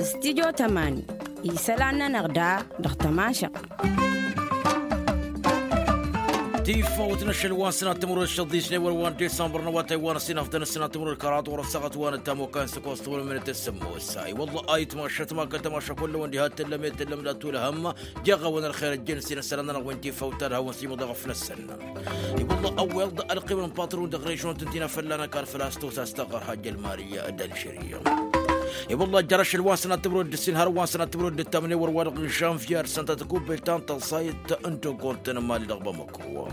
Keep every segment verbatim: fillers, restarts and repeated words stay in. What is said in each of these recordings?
Stidyo tămani isălan-nănăɣ da dăɣ-tămašăɣt. Tifawt n-ašăl wa n-sănat timǝrwed šăḍisne wăr wa n-disămbăr n-awătay wa n-ăsinăfdăn n-sănat timǝrwed kăraḍ wăr-ăssaɣăt wa n-ăttam okan s-ăkos timǝrwed mănăt s-sămmos. I-wălla ayǝtma šătma kăl-tămašăk wălla wa n-diha t-tǝllăm i-tǝllăm d-atulăhăm. Jeɣ-awăn ălxer ăjjăn s-inăsălan-nănăɣ wi n-tifawt ad-hawăn s-imǝḍeɣ făll-ăssăn. I-wălla ăwweḍ ălqimăn n-patron dăɣ-režon tǝntina fălla-năk kar făl-a-s tos a-s tăɣɣăr hajj ălmari d-alžeri. I-wălla jăr ašăl wa n-sănat timǝrwed d-ǝssin har wa n-sănat timǝrwed d-ǝttamnen wăr-wa-dăɣ n-žanvyer săn ta tăkubbelt ta n-tăẓẓayt n-dăgg-ortăn n-imali dăɣ-bamăko.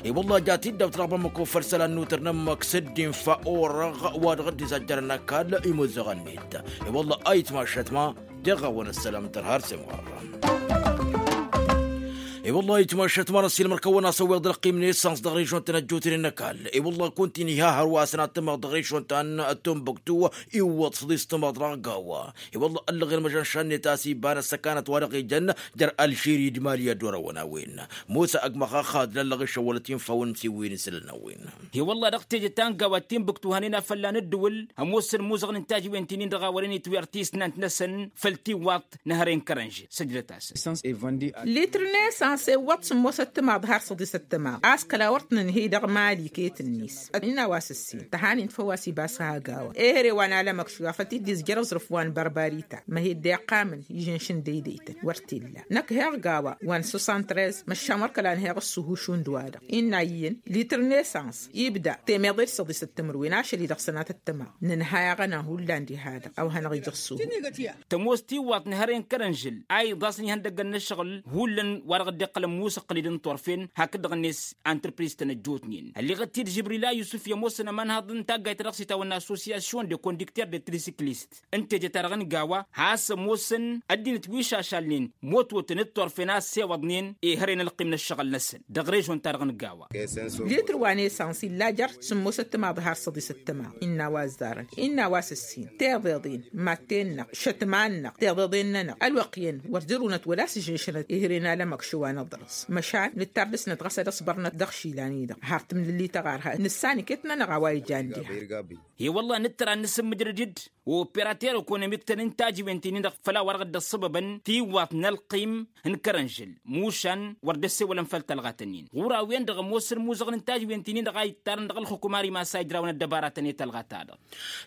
I-wălla ja tiddawt dăɣ-bamăko făll-isălan n-utăr n-ămmăk s-ăddin fa orăɣ wa dăɣ-dd-izajjărăn ăkall imuzăɣăn-net. I-wălla ayǝtma šătma. Teɣ-awăn ăssălam tărha ar s-imɣăr. I-wălla-hi tmašăt ma n-ăssiilmăr-kăwăn a-s ăwweḍ ălqim n-esans dăɣ-režon-tăn ăjjootnen n-ăkall. I-wălla-hi kunta-in iha hărwa s-ănattămăɣ dăɣ-režon ta n-tumbuktu iwwăḍ s-ăḍis tămăḍ dăɣ-gawa. I-wălla-hi ăllăɣen măžan šannet a-s iba n-ăssăkanăt wa dăɣ-ijăn jer-alžiri d-mali ad-wăr-awăn a-wen. Musa ăgg măxaxad lăllăɣ išăwwălăt infa wa n-siwwin isălan a-wen. He-wălla-hi dăɣ-teje ta n-gawa d-timbuktu hanen a fălla n-ǝddǝwǝl ămoosăn imuzăɣăn n-tajǝwen ti-nin-dăɣ a wărăn itwǝyăr tisnant n-esăn făll-tiwwaḍt n-ehăre n-kărănžel săjdăt-asăn. Litr n-esans iwwăḍ sǝmmosăt timaḍ har săḍisăt timaḍ a-s kăla wăr t-nǝnhǝy dăɣ-mali iket-net. Innă a-wa s-ǝssin tăhanin făw a-s ibas ha gawa ehăre wa n-alămăkš wa făl t-dd-izjăr aẓrǝf wa n-bărbarita măhedde iqqamăn ižǝnšǝn deydăytăn wăr t-illa. Năkk heɣ gawa wa n-săssan trez măšan wăr kăla nǝheɣ ǝssuhu šund-wa-dăɣ. Innă iyyăn litr n-esans ibda temeḍe d-săḍisăt timǝrwen ašăl-i dăɣ-sănatăt tămaɣ nǝnhăy aɣăna hullan diha-dăɣ a-wa hanăɣ-ija ǝssuhu. Tămoos tiwwaḍt n-ehăre n-kărănžǝl a iḍasăn ihăndăggăn n-ǝššăɣǝl hullan wa dăɣ-dd-iqqălăn musăqqǝlid n-turfen hakd-dăɣ-net. Antrăpriz-tăn ăjjootnen ălleɣăt-dd žăbrila yusǝf i-ămoosăn ămanhaḍ n-taggayt ta dăɣ-s itawănna assosyasyon de kondukter de trisikilist n-teje-ta-dăɣ n-gawa has-ămoosăn ăddinăt wi šašalnen mototăn d-turfen a ăssewăḍnen. Ehăre n-ălqim n-ǝššăɣǝl-năsăn dăɣ-režon-ta-dăɣ n-gawa. Litr wa n-esans illa jer-sǝmmosăt timaḍ har săḍisăt timaḍ innă a-wa ăzzarăn innă a-wa s-ǝssin teḍeḍen matte-năɣ šătman-năɣ teḍeḍen-nănăɣ ălwăqq iyyăn wăr jărunăt wăla s-žǝnšănăt ehăre n-alămăkš wa n-aḍrăs. Măšan nǝttar dăr-snăt ɣas ad-ăṣbărnăt dăɣ-išilan-i-dăɣ har tǝmlǝlli tăɣarha nǝssan iket-nănăɣ a-wa ijan diha. He-wălla-hi nǝttăr ad-nǝsǝmmǝjrăd-dd operater ekonomik-tăn n-tajǝwen ti-nin-dăɣ făll-a-wa dăɣ-dd-ăṣṣăbăbăn tiwwaḍt n-ălqim n-kărănžǝl mušan wăr dd-ăssewălăn făll-tălɣat-nin ɣur-a-wen-dăɣ ămoos ălmuzăɣăn n-tajǝwen ti-nin-dăɣ a ittarăn dăɣ-ălxukum ar imas a ijrawăn ăddăbaratăn i-tălɣa-ta-dăɣ.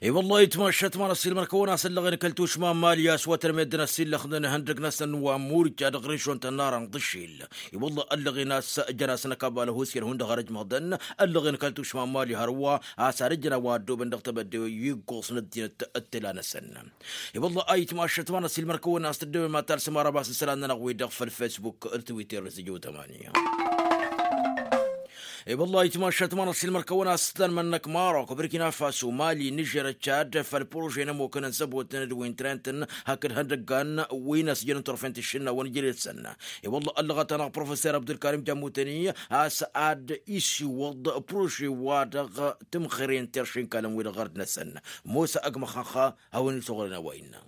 I-wălla-hi tmašăt ma n-ăssiilmăr-kăwăn a-s ăllăɣen kăl-tušma n-mali a-s wăr tărmeddăn ăssiillăxnen ihăndăg-năsăn wa n-murja dăɣ-režon ta n-ara n-ḍǝšil. I-wălla-hi ăllăɣen a-s jăn-asăn ăkabal ăhuusyăn hundăɣ har ăjmăɣdăn ăllăɣen kăl-tušma n-mali hărwa a-s ad-ǝjrăn a-wa ăddoobăn dăɣ-tebădde iggoẓ n-ăddinăt d-tǝla-năsăn. I-wălla-hi ayǝtmašăt ma n-ăssiilmăr-kăwăn a-s tǝddewem ad-talsăm arabas n-isălan-nănăɣ-wi-dăɣ făll-fesbuk d-twitter d-sǝjǝw tămani. I-wălla-hi ayǝtmašăt ma n-ăssiilmăr-kăwăn a-s ǝtlan mănnăk marok burkina faso mali nižer d-čad făll-prože n-ămmukăn n-săbotăn d-wintrentăn hakd ihăndăggan wi n-ăsjănăn turfen tǝššǝnnawăn jere-săn. I-wălla-hi ăllăɣăt-anăɣ professor abdulkarim jamutăni a-s ad-isiwǝḍ prože-wa-dăɣ tǝmxǝren terše n-ikalăn-wi-dăɣ ɣărd-năsăn. Musa ăgg măxănxa hawăn-isuɣǝlăn a-wa innă.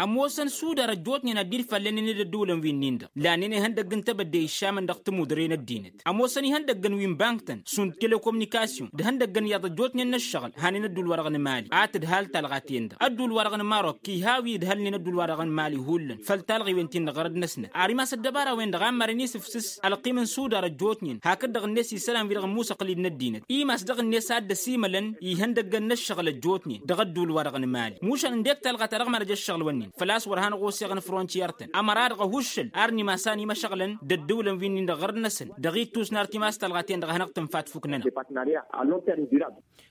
Ămoosăn sudar ăjjootnen ad-dd-fallănen d-ădduulăn wi-nin-dăɣ lanen ihăndăgg n-tebădde iššamăn dăɣ-tămudre n-ăddinăt. Ămoosăn ihăndăggăn wi n-bank-tăn šund telekomunikasyon d-ihăndăggăn iyyăḍ ăjjootnen n-ǝššăɣǝl hanen ădduul-wa-dăɣ n-mali a tǝdhal talɣa-ten-dăɣ ădduul-wa-dăɣ n-marok iha wi ǝdhălnen ădduul-wa-dăɣ n-mali hullan făll-talɣiwen-tin-dăɣ ɣărăd-năsnăt ar imas ăddăbara-wen-dăɣ a ămmărăn isǝfsǝs ălqim n-sudar ăjjootnen hakd-dăɣ-net isălan-wi-dăɣ n-imusăqqǝlid n-ăddinăt imas dăɣ-net a dd-ăsimălăn ihăndăggăn n-ǝššăɣǝl ăjjootnen dăɣ-ădduul-wa-dăɣ n-mali. Mušan ǝndek talɣa-ta-dăɣ mad-ăj ǝššăɣǝl-wǝnnin făl-a-s wăr hanăɣ-osseɣăn frontiyer-tăn ămăra-dăɣ ăhuššăl ar n-imas a n-imăšăɣlăn d-ădduulăn wi-nin-dăɣ ɣărăd-năsăn dăɣ-ittus n-artimas talɣa-ten-dăɣ a hanăɣ-tǝnfat fukk-nănăɣ.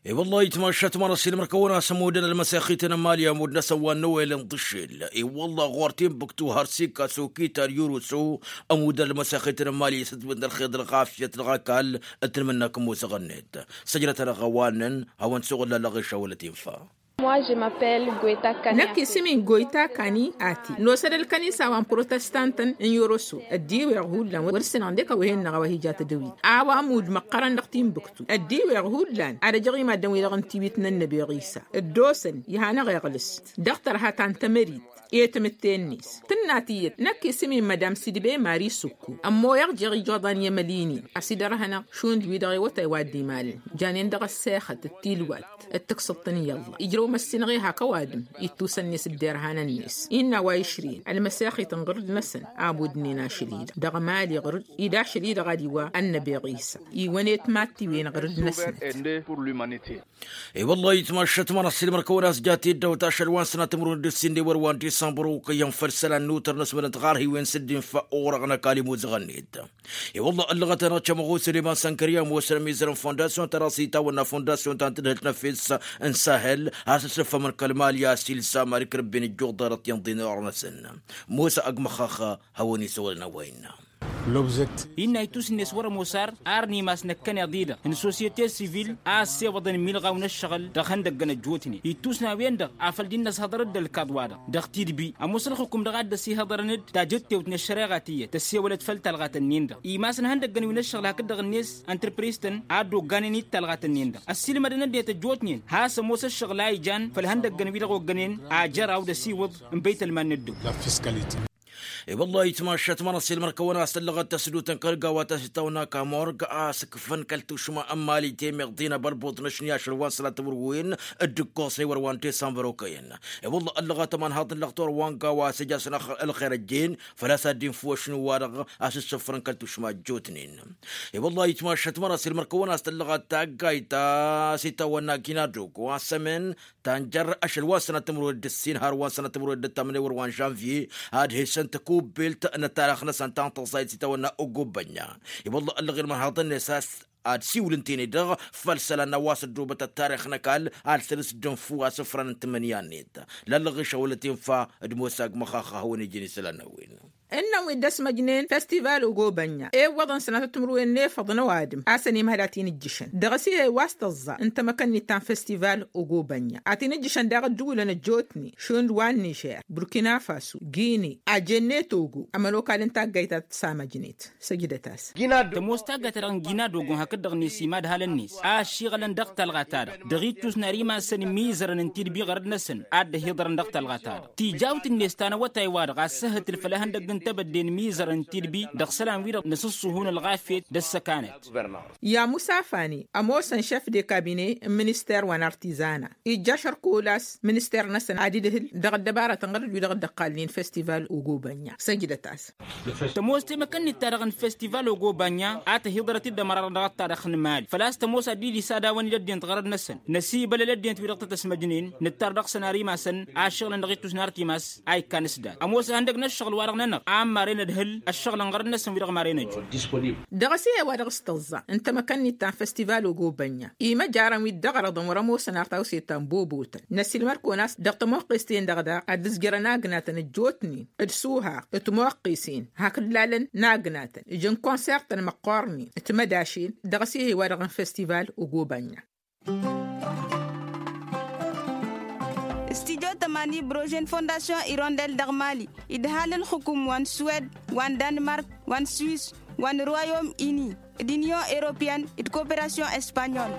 I-wălla-hi tmašăt ma n-ăssiilmăr-kăwăn a-s ămudăn ălmăsexităn n-mali ămud-năsăn wa n-năwăyălăn ḍǝššel i-wălla-hi ɣur-tinbuktu har sika sokita d-yurusu. Ămudăn ălmăsexităn n-mali isǝtwǝn d-ălxer d-ălɣafyăt dăɣ-ăkall d-tǝnmǝnnăk n-musăɣ-net. Săjdăt-anăɣ a-wa ǝnnăn hawăn-suɣǝl lăllăɣ išawălăt infa. Năkk isǝm-in goyta kani ati nosăd ălkănisa wa n-protestantăn n-yoroso. Ăddiweɣ hullan wăr-ǝssin ănḍek ăwhen-năɣ a-wa hi-ija tădăwit a-wa ămudd măqqărăn dăɣ-tinbuktu ăddiweɣ hullan ad-ăjăɣ i-maddǝn-wi-dăɣ n-tiwit n-ănnăbeɣ isa dd-osăn iha n-aɣeɣlǝs dăɣ-tărha ta n-tămărit. I-tamǝtte-net tǝnna tiyyăt năkk isǝm-i n-mădam sidbe mari sukku ămmoyăɣ jeɣ ijoḍan i-emăl-in-in a-s idărhănăɣ šund-wi-dăɣ i-awătay wa dd-imalăn. Janen dăɣ-ăssexăt d-tilwat d-tǝksǝḍt n-iyyălla ijrăw măssinăɣ i-hak ăwadǝm ittusăn-net dd-irhanăn-net innă a-wa išrǝyăn ălmăsexit n-ɣǝrǝd-năsăn. Abud-nin ašăl-i-dăɣ dăɣ-emali ɣǝrǝd-i d-ašăl-i-dăɣ ad-iwa ănnăbeɣ isa iwăn-e timattiwen ɣǝrǝd-năsnăt. I-wălla-hi tmašat mănăssilmăr-kăwăn a-s jat-dd-ăwt ašăl wa n-sănatămrun d-ǝssin d-ewăr wa n-disămbăr okăyyăn făll-isălan n-utăr n-asmădăn tiɣarhiwen s-dd-infa orăɣ n-ăkall imuzăɣăn-net. I-wălla ăllăɣăt-anăɣ cămăɣu săleman sănkări ămoosăn ămizăr n-fondasyon ta dăɣ-s itawănna fondasyon ta n-tǝdhǝlt n-efes n-sahel a-s ăssăffămăn kăl-mali a-s ilsa mad-ikrǝbben ǝjjuḍ ḍarăt i-inḍǝyăn orăɣ-năsăn. Mosa ăgg măxxax hawăn-isăwălăn a-wa innă. Innă ittus-net wăr-ămoos ar ar n-imas năkkăneḍ-i-dăɣ n-sosyete sivil a ăssewăḍăn imilɣaw n-ǝššăɣǝl dăɣ-ihăndăggăn ăjjootnen ittus n-a-wen-dăɣ afăl dd-innă ăshăḍăr-dd ălkaḍ-wa-dăɣ dăɣ-tidbi ămoos ălxǝkum dăɣ-a dd-ăsihăḍărăn-dd tajǝttewt n-ăššăreɣa tiyyăt tăssewălăt făll-talɣat-ǝnnin-dăɣ imasăn ihăndăggăn wi n-ǝššăɣǝl hakd-dăɣ-net ăntrǝpris-tăn a dd-ogganen i-talɣat-ǝnnin-dăɣ ăssiilmădăn ăddinăt ăjjootnen has-ămoos ǝššăɣǝl a ijan făll-ihăndăggăn wi-dăɣ oggănen ajăraw d-asiwǝḍ n-băytălman n-ăddăwlăt. I-wălla-hi tmašat mănăssilmăr-kăwăn a-s tăllăɣăt tăsdutăn kăl-gawa ta s-itawănna kamorg a-s ǝkfăn kăl-tušma n-mali temeḍt-in abălbuḍ n-ašni ašăl wa n-sănatămrǝwen d-ǝkkoẓ n-ewăr wa n-disămbăr okăyăn. I-wălla ăllăɣăt ămanhaḍ n-lăxtor wa n-gawa a-s ija-săn ălxer ăjjeen făl-a-s ad-dd-infǝw ašnu-wa-dăɣ a-s ǝssǝfrăn kăl-tušma ăjjootnen. I-wălla-hi tmašat mănăssilmăr-kăwăn a-s tăllăɣăt taggayt ta s-itawănna ginadogo a-s ămen tanjăr ašăl wa n-sănăt timǝrwed d-ǝssin har wa n-sănăt timǝrwed d-ăttamǝnewăr wa n-žănvye ad-hesăn tăkubbilt n-ăttarăx-năsăn ta n-tăẓẓayt s-itawănna ogobănya. I-wălla ăllăɣ-in mărhaḍăn-net a-s ad-siwǝl ǝnta-en-dăɣ făll-isălan n-a-wa s-ăddoobăt ăttarăx n-ăkall ad-săr-s dd-ănfǝw asǝfran n-tǝmmǝnǝya-net. Lăllăɣ-i šăwălăt infa d-mosa ăgg măxaxa a hawăn-ijăn isălan n-a-wen. Ǝnnăn wi dd-ăsmăjnen festival ogobănya ewwăḍăn sănatăt timǝrwen n-efăḍ n-ăwadǝm a-s ănimhăl ad-t-in-ǝjjǝšăn dăɣ-s ih'-e wa s-tăẓẓa n-tamăkănnit ta n-festival ogobănya ad-t-in-ǝjjǝšăn daɣ ădduulăn ăjjootnen šund wa n-nižer burkina faso gine ajenne togo ămănokal n-taggayt ta tǝssamăjnet. Săjdăt-as. Tămoos taggayt-ta-dăɣ n-gina dogon hakd-dăɣ-net imadhalăn-net a ăššiɣălăn dăɣ-talɣa-ta-dăɣ dăɣ-ittus n-ar imassăn imizărăn n-tidbi ɣărăd-năsăn a dd-ăhiḍărăn dăɣ-talɣa-ta-dăɣ tijawt-net ta n-awătay-wa-dăɣ a ăssăhǝtǝl făll-ehăndăgg n-tebădde n-imizărăn n-tidbi dăɣ-isălan-wi-dăɣ n-asǝṣṣuhu n-ălɣafyăt d-ăssăkanăt. I-amusa fani ămoosăn šef de kabine n-minister wa n-artizana ijja ašărkul a-s minister-năsăn ad-idhǝl dăɣ-ăddăbarăt n-ɣărăt wi-dăɣ dd-ăqqalnen festival ogobănya. Săjdăt-as. Tămoos temăkănnit-ta-dăɣ n-festival ogobănya a tăhiḍărăt-dd ămăra-dăɣ dăɣ-ăttarăx n-imali făl-a-s tămoos ad-dd-isadd a-wăn-dd ăddinăt ɣărăd-năsăn năsibălăl ăddinăt wi-dăɣ tăt-ăsmăjnen nǝttar dăɣ-săn ar imasăn ašăɣǝlăn dăɣ-ittus n-ar timas a ikkan s-dat ămoos ihăndăg n-ăššăɣǝl-wa-dăɣ-nănăɣ a ămmaren ădhǝl ăššăɣǝl n-ɣărăd-năsăn wi-dăɣ maren ăjun. Dăɣ-s ih'-e wa dăɣ-s tăẓẓa n-temăkănnit ta n-festival ogobănya imăjarăn wi dd-ăɣrăḍăn wăr-ămoosăn ar tawse ta n-bobotăn năsilmăd-kăwăn a-s dăɣ-tămoqqes-ten-dăɣ daɣ ad-ǝzjărăn agnatăn ăjjootnen d-suha d-timoqqesen hakd lalăn n-agnatăn ǝjăn konsertăn măqqornen d-timădašen dăɣ-s ih'-e wa dăɣ-n festival ogobănya. Studyo tămani brože n-fondasyon irondel dăɣ-mali idhal ǝlxǝkum wa n-suwed wa n-danmark wa n-swis wa n-royom ini d-inyon europeyăn d-koperasyon espanyol.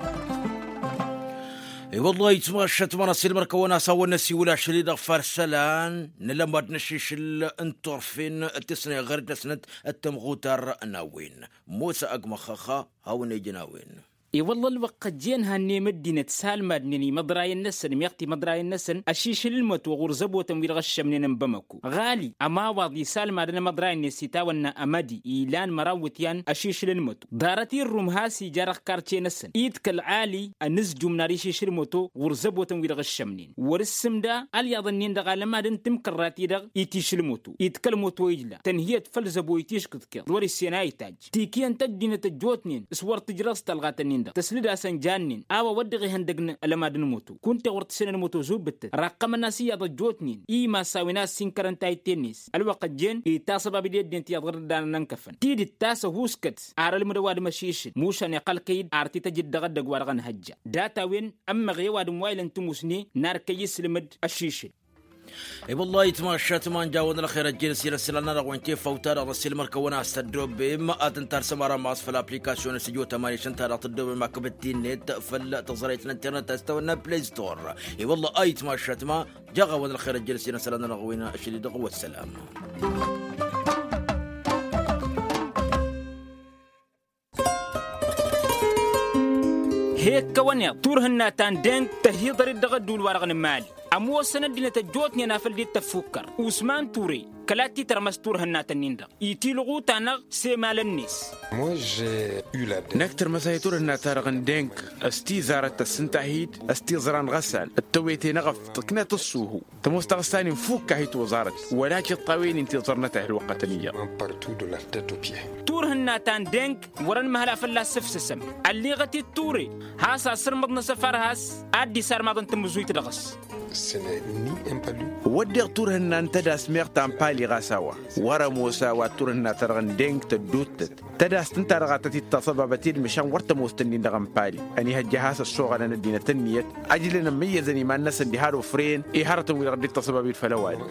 I-wăllah itmašăt mănăssilmăr-kăwăn a-s hawăn-năsiwǝl ašăl-i-dăɣ făll-isălan n-alămad n-ašišǝl n-turfen d-tǝsnay ɣer dăr-snăt d-tamɣutar n-a-wen. Mosa ăgg măxxăxa hawăn-ejăn a-wen. I-wălla ălwăqq ăjjeen hannăyăm ăddinăt salmadnen imăḍrayăn-năsăn meɣ timăḍrayăn-năsăn ăšišǝl n-măto ɣur-zăbotăn wi-dăɣ ăššămnen n-bamăko ɣali ămawaḍ isalmadăn imăḍrayăn-net s-itawănna ămădi ilan măraw iwǝtyan ăšišǝl n-măto ḍarăt irrum has-ija dăɣ-karce-năsăn idkăl ɣali ănǝzjum n-ar išišǝl n-măto ɣur-zăbotăn wi-dăɣ ǝššămnen wăr-ǝssǝmda ălyaḍ-ǝnnin-dăɣ alămad n-timkărrat-i-dăɣ itišǝl n-măto itišǝl n-măto ijla tănhǝyăt făll-zăbo itiškǝḍ kăḍ wăr-issen a itajj tikǝyăn-t ăddinăt ăjjootnen s-wăr tǝjrăẓ talɣat-ǝnnin-dăɣ tăslǝd-asăn jannen a-wa wăr dăɣ-ihăndăgg n-alămad n-măto kunta wăr tǝsǝnăn măto zubǝttăt raqqămăn-as iyyăḍ ăjjootnen imassawăn a ăssinkărăn tayǝtte-net ălwăqq ăjjeen itasăbab-dd i-ăddinăt iyyăḍ ɣǝr-dd a nănănkăfăn tidǝt ta s-ăhuuskăt ar ălmǝdăw ad-măšišǝl mušan iqqăl-kăy-dd ar tităjǝd dăɣ-ăddăg wa dăɣ-nǝhăjja data-wen ămmăɣ i-ăwadǝm wa ilăn tǝmusne n-ar kăy-isǝlmǝd ăšišǝl. I-wălla-hi tmašat ma n-jawăn ălxer ăjjeen s-ila s-ila n-anăɣ-wen tefawt-ta-dăɣ n-ăssiilmăr-kăwăn a-s tăddoobem ad-tăn-tarsăm ara ma s-făll-application s-ijo tămani šăn-ta-dăɣ tăddoobem akkăbăt ti-net făll-tăẓrayt n-internet a-s tawănna play store. I-wălla-hi tmašat ma jaɣ-awăn ălxer ăjjeen s-ila s-ila n-anăɣ-wen ašăl-i-dăɣ wa ăssălam. He-ǝkkăwăn iḍ turhǝnna ta n-deng tăhiḍăr-dd dăɣ-ădduul-wa-dăɣ n-imali. Ămoosăn ăddinăt ăjjootnen a făl dd-tăffukkăr usman ture kăla t-titărmăs turhǝnna-tăn-in-dăɣ itilɣu-ta-năɣ s-emalăn-net. Năkk tărmăs-ahi turhǝnna-ta-dăɣ n-deng s-tizarăt tăssǝnta-hi-dd s-tiẓra n-ɣăsal d-tăwete n-eɣăft tǝknăt ăṣṣuhu. Tămoos taɣǝsta-nin fukk-ahi toẓarăt wăla tiṭṭawen-in tiẓărnăt a hi-ălwăqqătăn iyyăḍ. Turhǝnna ta n-deng wăr-ănmăhăl a fălla-s ǝfsǝsăm. Ălliɣăt-dd ture has-asǝrmǝḍ n-asăfar has-ad-dd-isarmaḍăn tamǝzuyt dăɣ-s. Wădden turhǝnna n-tădas meɣ ta n-pali ɣas a-wa wăr-ămoos a-wa turhǝnna-ta-dăɣ n-deng tădduuttăt. Tădast ǝnta-dăɣ a tăt-dd-taṣăbabăt edmǝšan wăr tămoos-tăn-in-dăɣ n-pali. Ănihăjja a has-ăssoɣălăn ăddinăt ǝnniyăt ăjlăn ămmăyyăzăn iman-năsăn diha d-ofren i-hărătăn-wi-dăɣ dd-taṣăbabit făll-ăwadǝm.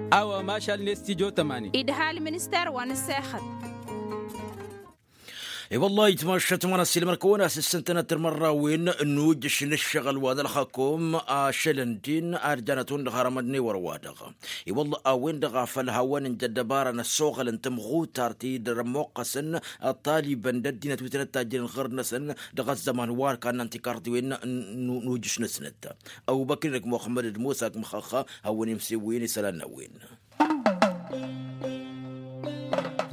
A-wa mašal-net tijo tămani. Idhal minister wa n-ǝssexăt. I-wăllah itmašat ma n-ăssiilmăr-kăwăn-as ǝssǝntănăt timărrawen n-ujǝš n-ǝššăɣǝl wa n-ălxăkom ašălăn-din ad-janăt-wăn-dăɣ harămădnen wăr-wa-dăɣ. I-wălla a-wen-dăɣ a făl hawăn-inja ăddăbara n-ăssoɣăl n-tămɣutar ti-dd-ămmoqqăsăn ăṭṭalibăn d-ăddinăt wi tăn-ăttajjănen ɣur-năsăn dăɣ-ăzzăman wa ărkan n-antikarḍiwen n-ujǝš-năsnăt. Ăbubăkr-in-ăkk muxămmăd d-musa ăkk măxăxxa hawăn-imsewwen isălan n-a-wen.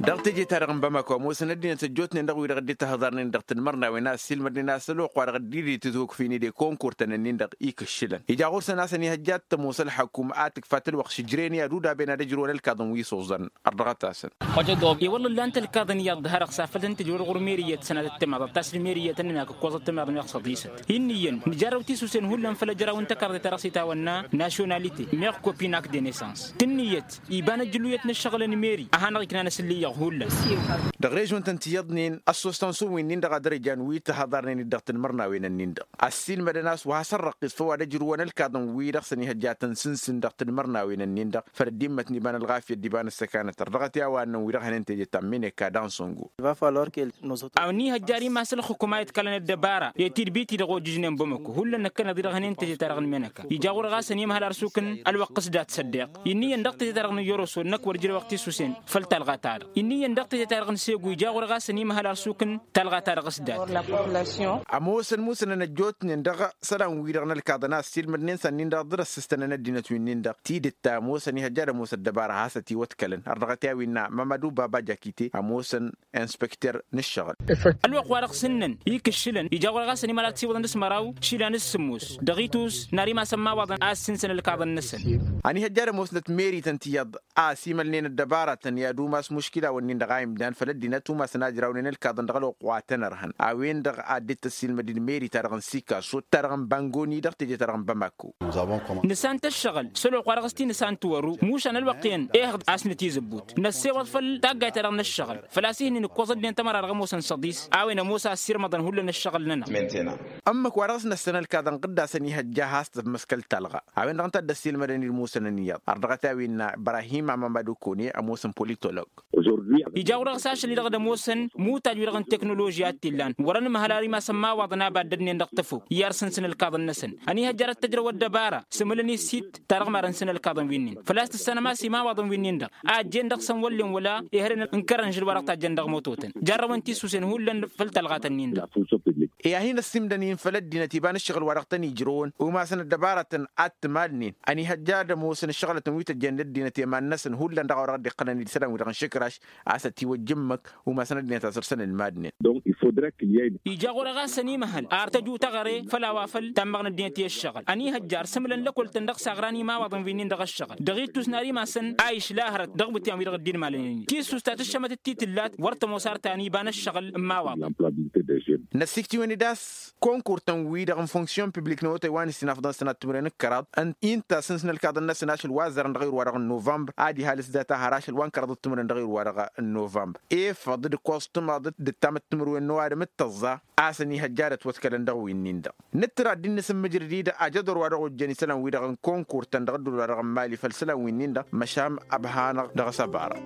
Dăɣ-teje-ta-dăɣ n-bamako ămoosăn ăddinăt ăjjootnen dăɣ-wi-dăɣ dd-tihǝḍarnen dăɣ-tǝnmărnawen a ăssiilmădnen a-s ălwăqq-wa-dăɣ dd-dd-itǝzhukfin d-ikonkur-tăn-ǝnnin-dăɣ ikǝššǝlăn. Ija ɣur-săn a-s ănihăjja ad-tămoos ălxăkum ad-tǝkfat ălwăqq šǝjren i-ad-udaben ad-ăjrǝwăn ălkaḍăn wi s-oẓăn. Ărḍăɣăt-asăn. I-wălla ǝllan-t ălkaḍăn iyyăḍ d-hărăɣ s-afăl tăn-tǝjrǝwăn ɣur-meriyăt sănatăt timaḍăt ta s-dd-meriyăt ănnănak ǝkkoẓăt timaḍăt meɣ săḍisăt. Inn'-iyyăn nǝjarrăw tisusen hullan făll-ăjraw n-tăkarḍe-ta-dăɣ s-itawănna nasyonalite meɣ kopinak de nesans. Tǝnnǝyăt iba n-ăjjǝluyăt n-ǝššăɣǝl n-meri a hanăɣ-iknan asǝllǝy iyyăɣ hullan. Dăɣ-režon-tăn tiyyăḍnen ăssoos ta n-sumwi-nin-dăɣ ad-dăr-ijan wi t-ihăḍarnen-dd dăɣ-tinmărnawen-nin-dăɣ ăssiilmădăn a-s wa has-ărrăqqis făw ad-ăjrǝwăn ălkaḍăn-wi-dăɣ s-ănihăjja ad-tăn-sǝnsǝn dăɣ-tinmărnawen-nin-dăɣ făll-ăddimmăt n-iba n-ălɣafyăt d-iba n-ăssăkanăt ărrăɣăt i-a-wa ănnăn wi-dăɣ hănen teje ta n-mineka d-ansongo. Ănihăjjar imas ălxǝkum a iḍkălăn ăddăbara i-tidbit-i-dăɣ ojǝžnen bămăko hullan năkkăneḍ-i-dăɣ hănen teje-ta-dăɣ n-mineka ija ɣur-ɣas ănimăhăl ar sukǝn ălwăqq s-dat săddeq. Inniyăn dăɣ-teje-ta-dăɣ n-ijoroso năkk wăr jere wăqq tisusen făll-talɣa-ta-dăɣ. Inniyăn dăɣ-teje-ta-dăɣ n-segu ija ɣur-ɣas ănimăhăl ar sukǝn talɣa-ta-dăɣ s-dat. Ămoosăn musǝnăn ăjjootnen dăɣ-isălan-wi-dăɣ n-ălkaḍăn a ăssiilmădnen s-ad-nin-dăɣ dd-răssǝstănăn ăddinăt wi-nin-dăɣ tidǝt ta ămoosăn ihăjja ad-ămoos ăddăbara a has-ătiwăḍkălăn ărrăɣăt i-a-wi innă mamădu baba jakite ămoosăn inspăkter n-ǝššăɣǝl. Ălwăqq-wa-dăɣ s-ǝnnăn ikǝššǝlăn ija ɣur-ɣas ănimăhăl ad-siwǝḍăn d-asmăraw išilan s-sǝmmos dăɣ-itus n-ar imas ămmawaḍăn a ăssinsăn ălkaḍăn-năsăn. Ănihăjja ad-ămoosnăt meri-tăn tiyyăḍ a ăsimălnen ăddăbaratăn i-ad-umas muškilawăn-nin-dăɣ a imdan făll-ăddinăt umasăn a ǝjrawnen ălkaḍăn dăɣ-ălwăqq wa tăn-ărhăn a-wen-dăɣ a dd-tăssiilmăd-dd meri-ta-dăɣ n-sikaso ta-dăɣ n-bangoni dăɣ-teje-ta-dăɣ n-bamako. Nǝsant ăššăɣǝl s-ălwăqq-wa-dăɣ s-ti nǝsant wăru mušan ălwăqq-en ehăḍ a-s nǝtizǝbbut năssewăḍ făll-taggayt-ta-dăɣ n-ăššăɣǝl făl-a-s ihǝnnin ǝkkoẓ ăddinăt ămăra dăɣ-ămoosăn săḍis. A-wen ămoos a ăssirmăḍăn hullan ăššăɣǝl-nănăɣ. Ǝmmǝk wa dăɣ-s năssăn ălkaḍăn ɣǝdda a-s ănihăjja a has-tămmăskăl talɣa a-wen-dăɣ ǝnta a dd-ăssiilmădăn-dd musăn ǝnniyyăḍ ărḍăɣăt a-wen innă ibrahim amămădu kone ămoosăn politolog. Ija ɣur-dăɣ s-ašăl-i-dăɣ d-ămoosăn mutaj-wi-dăɣ n-teknoloži a t-illan wăr-ănmăhăl ar imas ămmawaḍăn a baddădnen dăɣ-tăfok i-arsǝnsǝn ălkaḍăn-năsăn. Ănihăjjar ad-tăjrăw ăddăbara s-ǝmǝlăn-i s-hidd ta dăɣ-marăn săn ălkaḍăn wi-nin făl-a-s tǝssanăm a-s imawaḍăn wi-nin-dăɣ a ăjjeen dăɣ-săn wăllen wăla ihărăn n-kărăn žǝl wa dăɣ-tajjăn dăɣ-mototăn jarrăwăn tisusen hullan făll-talɣatăn-nin-dăɣ. I-ad-hin-ăssimdăn-in făll-ăddinăt iba n-ǝššăɣǝl wa dăɣ-tăn-ijrăwăn umasăn ăddăbaratăn ad-t-malnen. Ănihăjja ad-ămoosăn ǝššăɣǝlătăn wi tăjjănen ăddinăt i-iman-năsăn hullan dăɣ-a-wa dăɣ-dd-iqqălăn isălan-wi-dăɣ n-išǝkraš a-s ătiwăjja ǝmmǝk umasăn ăddinăt a săr-săn ǝlmadnen. Ija ɣur-e ɣas ănimăhăl ar tăju taɣăre făll-a-wa făl tammăɣ n-ăddinăt i-ǝššăɣǝl ănihăjjar s-ǝmǝlăn lăkol-tăn dăɣ-s aɣran imawaḍăn wi-nin dăɣ-ǝššăɣǝl dăɣ-ittus n-ar imasăn a išla hărăt dăɣ-iwǝtyan-wi-dăɣ dd-inmalănen. Tissust ta tǝššămătăt ti tǝllat wăr tămoos ar ta n-iba n-ǝššăɣǝl n-imawaḍăn. Năssiktǝwăn-dd a-s konkur-tăn-wi-dăɣ n-fonksyon piblik n-awătay wa n-ǝssin afḍăn sănat timǝrwen d-kăraḍ ǝnta a-s n-ălkaḍăn-năsăn ašăl wa ăzzărăn dăɣ-irwa-dăɣ n-novămbăr ad-ihal s-data har ašăl wa n-kăraḍăt timǝrwen dăɣ-irwa-dăɣ n-novămbăr. Efăḍ d-ǝkkoẓ tǝmaḍăt d-ǝttamăt timǝrwen n-ăwadǝm d-tăẓẓa a-s ănihăjjadăt wătkălăn dăɣ-winnin-dăɣ. Nǝttǝr ad-dd-innăsǝmmǝjrăd-i-dăɣ ajădor wa dăɣ-ojjăn isălan-wi-dăɣ n-konkur-tăn dăɣ-ăddul wa dăɣ-n mali făll-isălan winnin-dăɣ măšan ăbhanăɣ dăɣ-s ăbarăɣ.